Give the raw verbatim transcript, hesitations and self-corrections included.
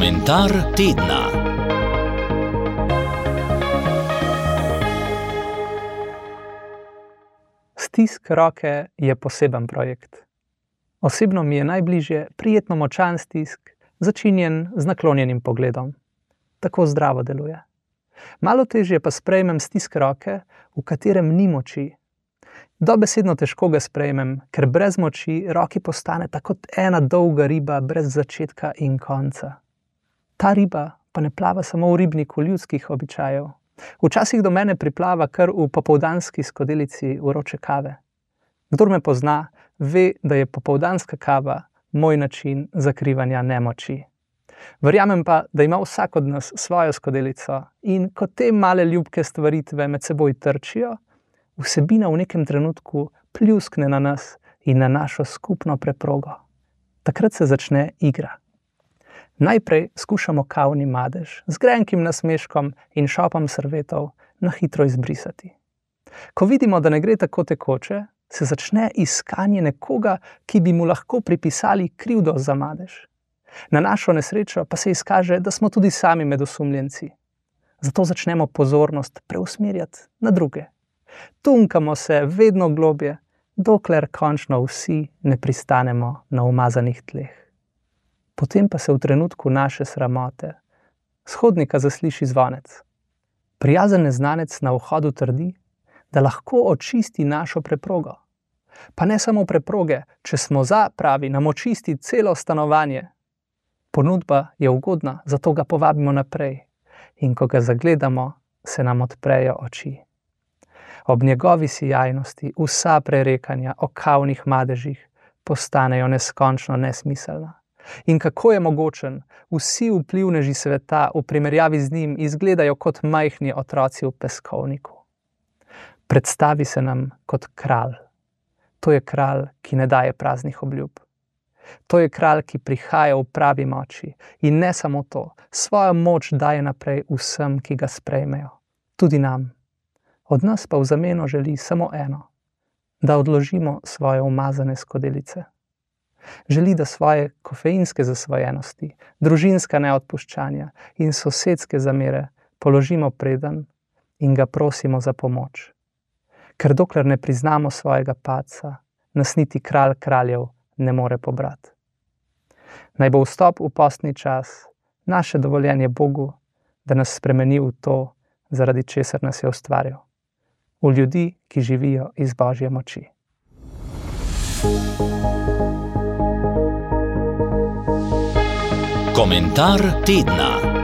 Komentar tedna. Stisk roke je poseben projekt. Osebno mi je najbližje prijetno močan stisk, začinjen z naklonjenim pogledom. Tako zdravo deluje. Malo težje pa sprejmem stisk roke, v katerem ni moči. Dobesedno težko ga sprejmem, ker brez moči roki postane tako kot ena dolga riba brez začetka in konca. Ta riba pa ne plava samo v ribniku ljudskih običajev. Včasih do mene priplava kar v popoldanski skodelici vroče kave. Kdor me pozna, ve, da je popoldanska kava moj način zakrivanja nemoči. Verjamem pa, da ima vsak od nas svojo skodelico in ko te male ljubke stvaritve med seboj trčijo, vsebina v nekem trenutku pljuskne na nas in na našo skupno preprogo. Takrat se začne igra. Najprej skušamo kavni madež z grenkim nasmeškom in šopom servetov na hitro izbrisati. Ko vidimo, da ne gre tako tekoče, se začne iskanje nekoga, ki bi mu lahko pripisali krivdo za madež. Na našo nesrečo pa se izkaže, da smo tudi sami med osumljenci. Zato začnemo pozornost preusmerjati na druge. Tunkamo se vedno globje, dokler končno vsi ne pristanemo na umazanih tleh. Potem pa se v trenutku naše sramote s hodnika zasliši zvonec. Prijazen neznanec na vhodu trdi, da lahko očisti našo preprogo. Pa ne samo preproge, če smo za, pravi, nam očisti celo stanovanje. Ponudba je ugodna, zato ga povabimo naprej. In ko ga zagledamo, se nam odprejo oči. Ob njegovi sijajnosti vsa prerekanja o kavnih madežih postanejo neskončno nesmiselna. In kako je mogočen, vsi vplivneži sveta v primerjavi z njim izgledajo kot majhni otroci v peskovniku. Predstavi se nam kot kralj. To je kralj, ki ne daje praznih obljub. To je kralj, ki prihaja v pravi moči in ne samo to, svojo moč daje naprej vsem, ki ga sprejmejo, tudi nam. Od nas pa v zameno želi samo eno, da odložimo svoje umazane skodelice. Želi, da svoje kofeinske zasvojenosti, družinska neodpuščanja in sosedske zamere položimo predan in ga prosimo za pomoč. Ker dokler ne priznamo svojega padca, nas niti kralj kraljev ne more pobrati. Naj bo vstop v postni čas naše dovoljenje Bogu, da nas spremeni v to, zaradi česar nas je ustvaril. V ljudi, ki živijo iz Božje moči. Komentar tedna.